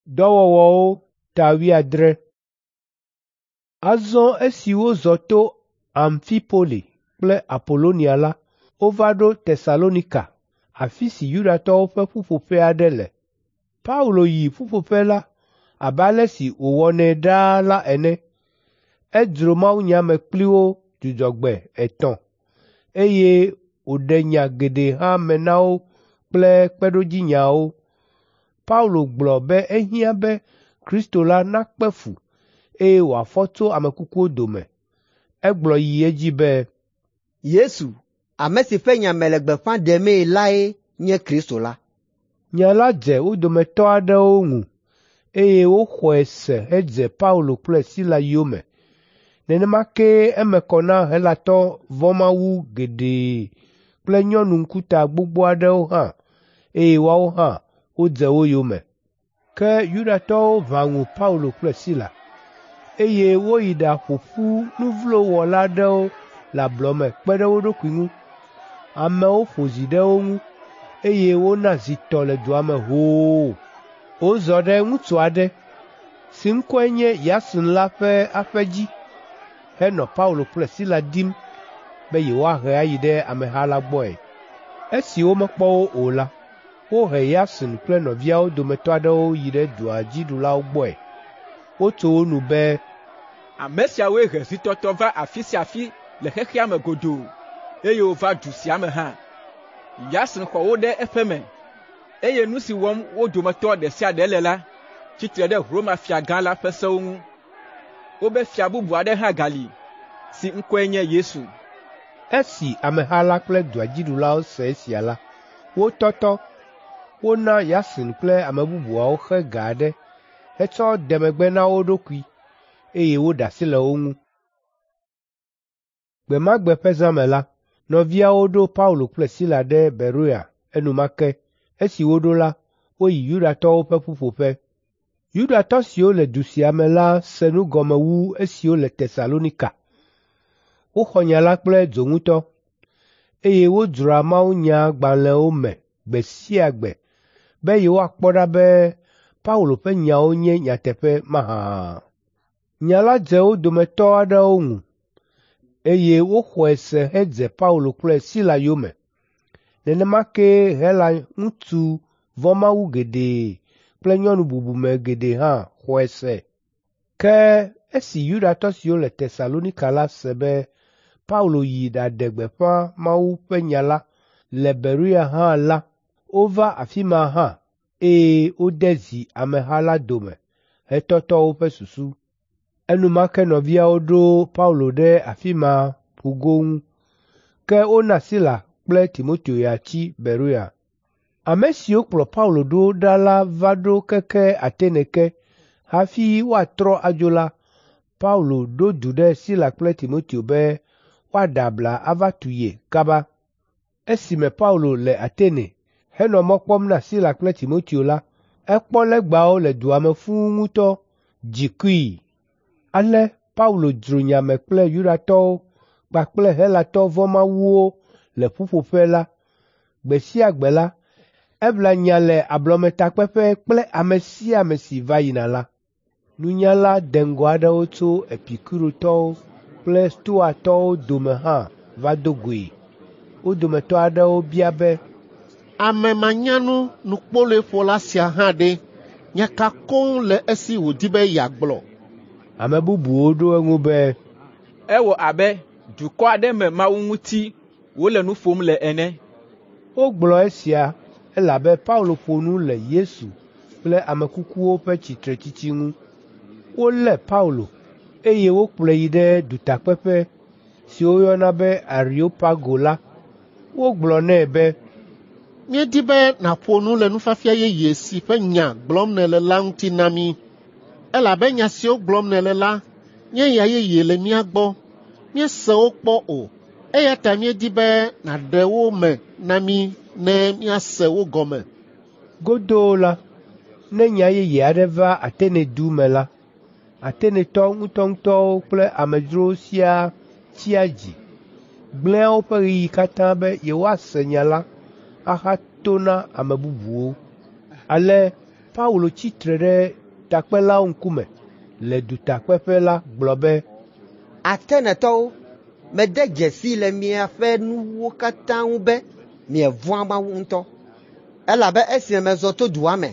Dɔwɔwɔwo ta 70. Azɔ esi wozɔ to Amfipoli kple Apolonia la, wova ɖo Tesalonika, afi si Yudatɔwo ƒe ƒuƒoƒe aɖe le. Paulo yi ƒuƒoƒe la abe ale si wòwɔnɛ ɖaa la ene. Edzro mawunya me kpli wo dzudzɔgbe etɔ̃, eye wòɖe nya geɖe hã me na wo kple kpeɖodzinyawo. Paulo gblɔ be ehiã be Kristo la nakpe fu, eye wòafɔ tso ame kukuwo dome. Egblɔ yi edzi be, Yesu, ame si ƒe nya mele gbeƒã ɖemee lae nye Kristo la. Nya la dze wo dometɔ aɖewo ŋu, eye woxɔe se hedze Paulo kple Sila yome. Nenema kee eme kɔ na Helatɔ vɔ̃mawu geɖe kple nyɔnu ŋkuta gbogbo aɖewo hã, eye woawo hã wodze wo yome. Ke Yudatɔwo ʋã ŋu Paulo kple Sila, eye woyi ɖaƒo ƒu nu vlo wɔla aɖewo le ablɔ me kpe ɖe wo ɖokui ŋu. Amewo ƒo zi ɖe wo ŋu, eye wona zi tɔ le dua me hoo. Wozɔ ɖe ŋutsu aɖe si ŋkɔe nye Yason la ƒe aƒe dzi henɔ Paulo kple Sila dim be yewoahe ayi ɖe ameha la gbɔe. Esi womekpɔ wo o la, wohe Yason kple nɔviawo dometɔ aɖewo yi ɖe dua dziɖulawo gbɔe. Wotso wo nu be, Ame siawoe he zitɔtɔ va afi sia afi le xexea me godoo, eye wova du sia me hã. Yason xɔ wo ɖe eƒe me, eye nu si wɔm wo dometɔ ɖe sia ɖe le la tsi tre ɖe Roma fiagã la ƒe sewo ŋu. Wobe fia bubu aɖe hã gali, si ŋkɔe nye Yesu. Esi ameha la kple dua dziɖulawo se esia la, wotɔtɔ. Wona Yason kple ame bubuawo xe ga aɖe hetsɔ de megbe na wo ɖokui, eye woɖe asi le wo ŋu. Gbe ma gbe ƒe zã me la, nɔviawo ɖo Paulo kple Sila ɖe Beroia enumake. Esi woɖo la, woyi Yudatɔwo ƒe ƒuƒoƒe. Yudatɔ siwo le du sia me la se nu gɔme wu esiwo le Tesalonika. Woxɔ nya la kple dzo ŋutɔ, eye wodzroa mawunyagbalẽwo me gbe sia gbe be yewoakpɔ ɖa be Paulo ƒe nyawo nye nyateƒe mahã. Nya la dze wo dometɔ aɖewo ŋu, eye woxɔe se hedze Paulo kple Sila yome. Nenema kee Hela ŋutsu vɔ̃mawu geɖe kple nyɔnu bubume geɖe hã xɔe se. Ke esi Yudatɔ siwo le Tesalonika la se be Paulo yi ɖaɖe gbeƒã Mawu ƒe nya la le Beroia hã la, wova afi ma hã, eye wode zi ameha la dome hetɔtɔ woƒe susu. Enumake nɔviawo ɖo Paulo ɖe afi ma ƒugo ŋu, ke wona Sila kple Timoteo ya tsi Beroia. Ame siwo kplɔ Paulo ɖo ɖa la va ɖo keke Atene ke. Hafi woatrɔ adzo la, Paulo ɖo du ɖe Sila kple Timoteo be woaɖe abla ava tu ye kaba. Esime Paulo le Atene henɔ mɔ kpɔm na Sila kple Timoteo la, ekpɔ legbawo le dua me fũu ŋutɔ, dzi kui. Ale Paulo dzro nya me kple Yudatɔwo kpakple Helatɔ vɔ̃mawuwo le ƒuƒoƒe la. Gbe sia gbe la, eʋlia nya le ablɔmetakpeƒe kple ame sia ame si va yina la. Nunyala deŋgɔ aɖewo tso Epikurotɔwo kple Stoatɔwo dome hã va do goe. Wo dometɔ aɖewo bia be, Ame manyanu nukpoloeƒola sia hã ɖe, nya ka koŋ le esi wòdi be yeagblɔ? Ame bubuwo ɖo eŋu be, Ewɔ abe dukɔ aɖe me Mawu ŋuti wòle nu ƒom le ene. Wogblɔ esia elabe Paulo ƒo nu le Yesu kple ame kukuwo ƒe tsitretsitsi ŋu. Wolé Paulo, eye wokplɔe yi ɖe dutakpeƒe si woyɔna be Areopago la. Wogblɔ nɛ be, Míedi be nàƒo nu le nufiafia yeye si ƒe nya gblɔm nèle la ŋuti na mí, elabe nya siwo gblɔm nèle la nye nya yeye le mía gbɔ. Míese wo kpɔ o, eya ta míedi be nàɖe wo me na mí ne míase wo gɔme. Godoo la, ne nya yeye aɖe va Atene du me la, Atenetɔ ŋutɔŋutɔwo kple amedzrowo siaa tsia dzi, gblẽa woƒe ɣeyiɣi katã be yewoase nya la ahato na ame bubuwo. Ale Paulo tsi tre ɖe takpelawo ŋkume le dutakpeƒe la gblɔ be, Atenetɔwo, mede dzesi le miaƒe nuwo katã ŋu be mievɔ̃a Mawu ŋutɔ. Elabe esime mezɔ to dua me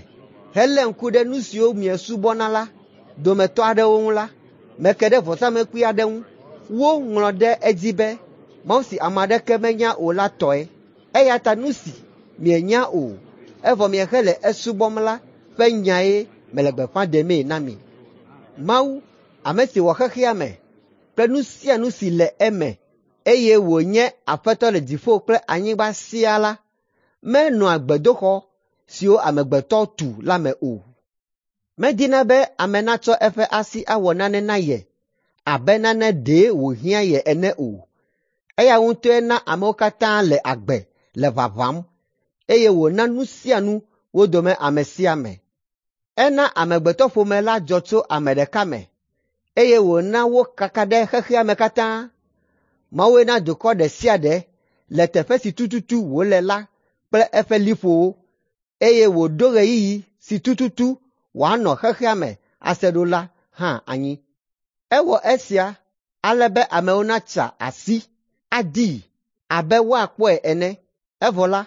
helé ŋku ɖe nu siwo miesubɔna la dometɔ aɖewo ŋu la, meke ɖe vɔsamlekpui aɖe ŋu. Woŋlɔ ɖe edzi be, Mawu si ame aɖeke menya o la tɔe. Eya ta nu si mienya o, evɔ miehele esubɔm la ƒe nyae mele gbeƒã ɖemee na mi. Mawu, ame si wɔ xexea me kple nu sia nu si le eme, eye wònye Aƒetɔ le dziƒo kple anyigba siaa la, menɔa gbedoxɔ siwo amegbetɔ tu la me o. Medina be ame natsɔ eƒe asi awɔ nane na ye abe nane ɖe wòhiã ye ene o. Eya ŋutɔe na amewo katã le agbe le ʋaʋãm, eye wòna nu sia nu wo dome ame sia ame. Ena amegbetɔƒome la dzɔ tso ame ɖeka me, eye wòna wokaka ɖe xexea me katã. Mawue na dukɔ ɖe sia ɖe le teƒe si tututu wòle la kple eƒe liƒowo, eye wòɖo ɣeyiɣi si tututu wòanɔ xexea me ase ɖo la hã anyi. Ewɔ esia ale be amewo natsa asi adii abe woakpɔe ene, evɔ la,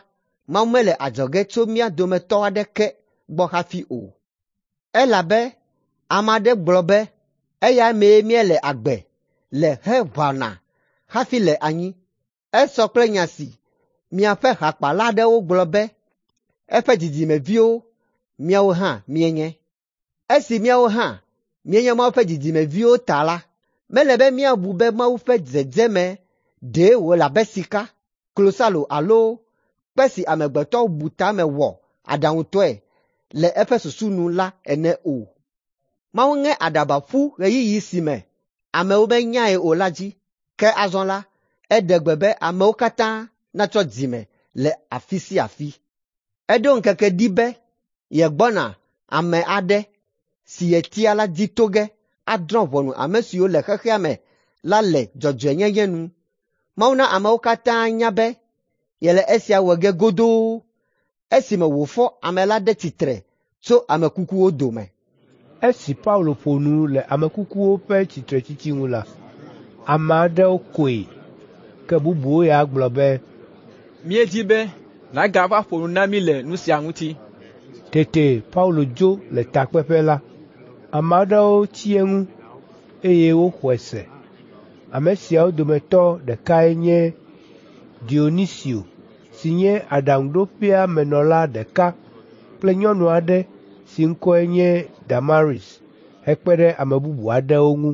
Mawu mele adzɔge tso mía dometɔ aɖeke gbɔ hafi o. Elabe ame aɖe gblɔ be eya mee míele agbe le heʋãna hafi le anyi. Esɔ kple nya si miaƒe hakpala aɖewo gblɔ be eƒe dzidzimeviwo míawo hã míenye. Esi míawo hã míenye Mawu ƒe dzidzimeviwo ta la, mele be míabu be Mawu ƒe dzedzeme ɖe wòle abe sika, klosalo alo kpe si amegbetɔ bu tame wɔ aɖaŋutɔe le eƒe susu nu la ene o. Mawu ŋe aɖaba ƒu ɣeyiɣi si me amewo menyae o la dzi, ke azɔ la, eɖe gbe be amewo katã natrɔ dzime le afi sia afi. Eɖo ŋkeke ɖi be yegbɔna ame aɖe si yetia la dzi to ge adrɔ̃ ʋɔnu ame siwo le xexea me la le dzɔdzɔenyenye nu. Mawu na amewo katã nya be yele esia wɔ ge godoo esime wòfɔ ame la ɖe tsitre tso ame kukuwo dome. Esi Paulo ƒo nu le ame kukuwo ƒe tsitretsitsi ŋu la, ame aɖewo koe, ke bubuwo ya gblɔ be, Míedi be nàgava ƒo nu na mí le nu sia ŋuti. Tete Paulo dzo le takpeƒe la. Ame aɖewo tsi eŋu, eye woxɔe se. Ame siawo dometɔ ɖekae nye Dionisio si nye aɖaŋuɖoƒea menɔla ɖeka kple nyɔnu aɖe si ŋkɔe nye Damaris hekpe ɖe ame bubu aɖewo ŋu.